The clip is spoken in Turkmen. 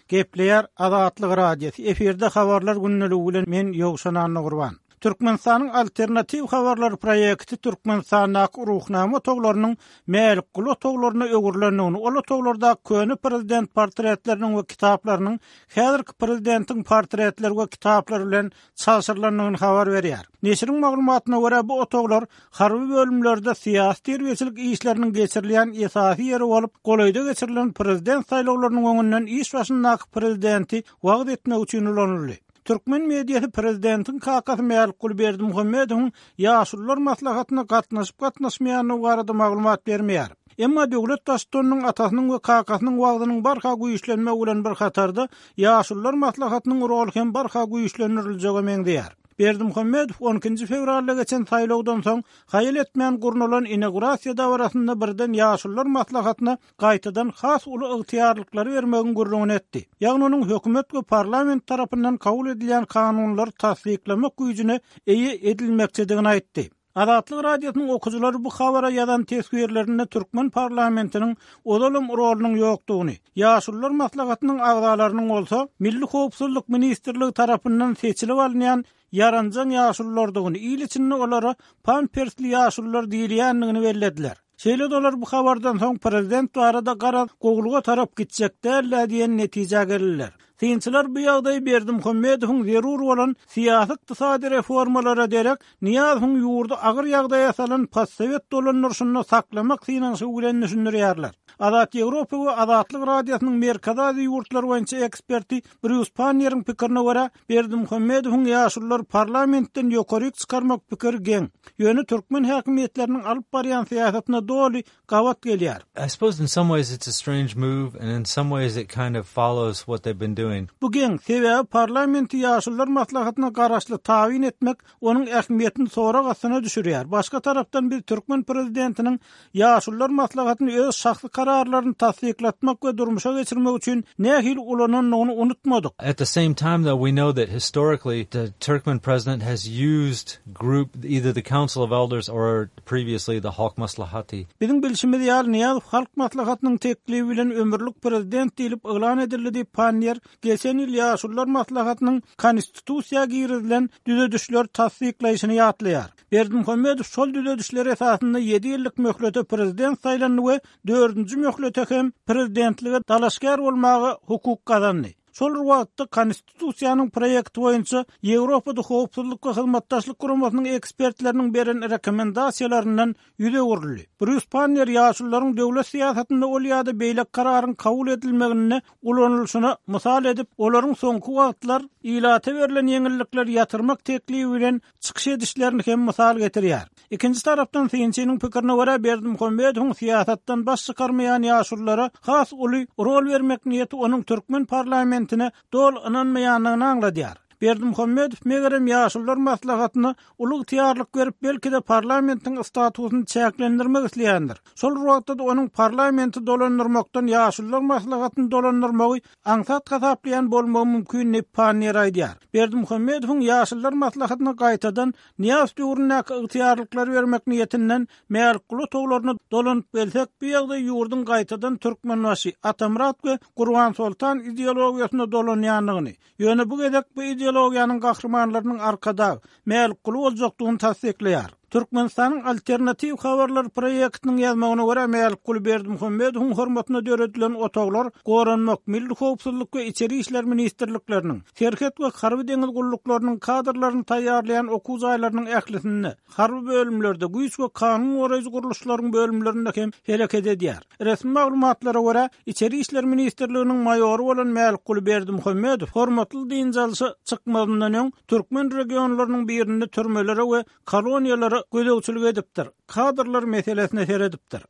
Gepleýär Azatlyk Radiosy, efirde Habarlar gündeligi bilen men Ýowşan Annagurban. Türkmenistanyň Alternatiw habarlar proýekti Türkmenistandaky Ruhnama otaglarynyň Mälikguly otaglaryna öwrülendigini, ol otaglardaky köne prezident portretleriniň we kitaplarynyň häzirki prezidentiň portretleri we kitaplary bilen çalşyrylandygyny habar berýär. Neşiriň maglumatyna görä, bu otaglar harby bölümlerde syýasy-terbiýeçilik işleriniň geçirilýän esasy ýeri bolup, golaýda geçirilen prezident saýlawlarynyň öňünden iş başyndaky prezidenti wagyz etmek üçin ulanyldy. Türkmen mediasy prezidentiň kakasy Mälikguly Berdimuhamedowyň Ýaşulular maslahatyna gatnaşyp-gatnaşmaýandygy barada maglumat bermeýär. Emma döwlet Baştutanynyň atasynyň we kakasynyň wagzynyň barha güýçlenmegi bilen bir hatarda, Ýaşulular maslahatynyň roly hem barha güýçlendiriljege meňzeýär. Berdimuhamedow on ikinji fewralda geçen saýlawdan soň haýal etmän gurnalan inaugurasiýa dabarasynda birden Ýaşulular maslahatyna gaýtadan has uly ygtyýarlyklary bermegiň gürrüňini etdi. Ýagny onuň hökümet we parlament tarapyndan kabul edilýän kanunlary tassyklamak güýjüne eýe edilmekçidigini aýtdy. Azatlyk Radiosynyň okyjylary bu habara ýazan teswirlerinde türkmen parlamentiniň ozalam rolunyň ýokdugyny, Ýaşulular maslahatynyň agzalarynyň bolsa Milli howpsuzlyk ministrligi tarapyndan seçilip alynýan ýaranjaň ýaşululardygyny, il içinde olara pampersli ýaşulular diýilýändigini bellediler. Şeýle-de olar bu habardan soň prezident barada garaz gowulyga tarap gitjek däl-dä diýen netijä geldiler. Synçylar bu ýagdaýy Berdimuhamedowyň zerur bolan syýasy-ykdysady reformalara derek Nyýazowyň ýurdy agyr ýagdaýa salan postsowet dolandyryşynda saklamak synanyşygy bilen düşündirýärler. Azat Ýewropa we Azatlyk Radiosynyň Merkezi Aziýa ýurtlary boýunça eksperti Brýus Panniýeriň pikirine görä, Berdimuhamedowyň ýaşululary parlamentden ýokaryk çykarmak pikiri geň, ýöne türkmen häkimiýetleriniň alyp barýan syýasatyna doly gabat gelýär. I suppose in some ways it's a strange move and in some ways it kind of follows what they've been doing. Bu geň, sebäbi parlamenti Ýaşulular maslahatyna garaşly tabyn etmek onuň ähmiýetini sorag astyna düşürýär. Başga tarapdan biz türkmen prezidentiniň Ýaşulular maslahatyny öz şahsy kararlaryny tassyklatmak we durmuşa geçirmek üçin nähili ulanandygyny unutmadyk. At the same time though we know that historically the Turkmen president has used group either the Council of Elders or previously the Halk Maslahaty. Biziň bilşimiz ýaly Nyýazow Halk Maslahatynyň teklibi bilen ömürlik prezident diýlip yglan edildi diýip Panniýer geçen ýyl Ýaşulular maslahatynyň Konstitusiýa girizilen düzedişleri tassyklaýşyny ýatlaýar. Berdimuhamedow şol düzedişler esasynda ýedi ýyllyk möhlete prezident saýlandy we dördünji möhlete hem prezidentlige dalaşgär bolmaga hukuk gazandy. Şol bir wagtda, Konstitusiýanyň proýekti boýunça Ýewropada Howpsuzlyk we Hyzmatdaşlyk Guramasynyň ekspertleriniň beren rekomendasiýalaryndan ýüz öwrüldi. Brýus Panniýer ýaşulularyň döwlet syýasatynda ol ýa-da beýleki kararyň kabul edilmeginde ulanylyşyna mysal edip, olaryň soňky wagtlar ilata berlen ýeňillikleri ýatyrmak teklibi bilen çykyş edişlerini hem mysal getirýär. Ikinji tarapdan, synçynyň pikirine görä, Berdimuhamedowyň syýasatdan baş çykarmaýan ýaşululara has uly rol bermek niýeti onuň türkmen parlamentine doly ynanmaýandygyny aňladýar. Berdimuhamedow, megerem, Ýaşulular maslahatyna uly ygtyýarlyk berip, belki-de, parlamentiň statusyny çäklendirmek isleýändir. Şol bir wagtda-da onuň parlamenti dolandyrmakdan Ýaşulular maslahatyny dolandyrmagy aňsat hasaplaýan bolmagy mümkin diýip, Panniýer aýdýar. Berdimuhamedowyň Ýaşulular maslahatyna gaýtadan Nyýazow döwründäki ygtyýarlyklary bermek niýetinden Mälikguly otaglaryna dolanyp gelsek, bu ýagdaý ýurduň gaýtadan Türkmenbaşy, Atamyrat we Gurbansoltan ideologiýasyna dolanýandygyny, ýöne bu gezek bu ideologiýanyň gahrymanlarynyň Arkadag, Mälikguly boljakdygyny tassyklaýar. Türkmenistanyň Alternatiw habarlar proýektiniň ýazmagyna görä, Mälikguly Berdimuhamedowyň hormatyna döredilen otaglar Goranmak, Milli howpsuzlyk we Içeri işler ministrlikleriniň, Serhet we harby-deňiz gulluklarynyň kadrlaryny taýýarlaýan okuw jaýlarynyň ählisinde, harby bölümlerde, güýç we kanun goraýjy gurluşlaryň bölümlerinde hem hereket edýär. Resmi maglumatlara görä, Içeri işler ministrliginiň maýory bolan Mälikguly Berdimuhamedow hormatly dynç alşa çykmazyndan öň, türkmen regionlarynyň birinde türmelere we koloniýalara gözegçilik edipdir, kadrlar meselesine seredipdir.